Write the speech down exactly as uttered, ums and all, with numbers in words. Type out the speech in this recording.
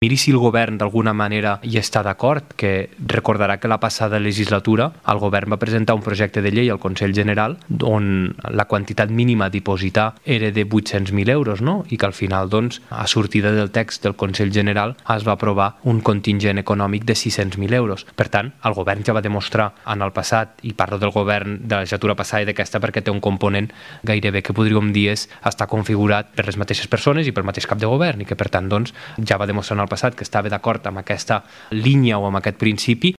miri si el govern d'alguna manera hi està d'acord, que recordarà que la passada legislatura el govern va presentar un projecte de llei al Consell General on la quantitat mínima a dipositar era de vuit-cents mil euros, no? I que al final, doncs, a sortida del text del Consell General es va aprovar un contingent econòmic de sis-cents mil euros. Per tant, el govern ja va demostrar en el passat, i parlo del govern de la legislatura passada i d'aquesta perquè té un component gairebé que podríem dir és estar configurat per les mateixes persones i pel mateix cap de govern i que, per tant, doncs, ja va demostrar en el passat que estava d'acord amb aquesta línia o amb aquest principi.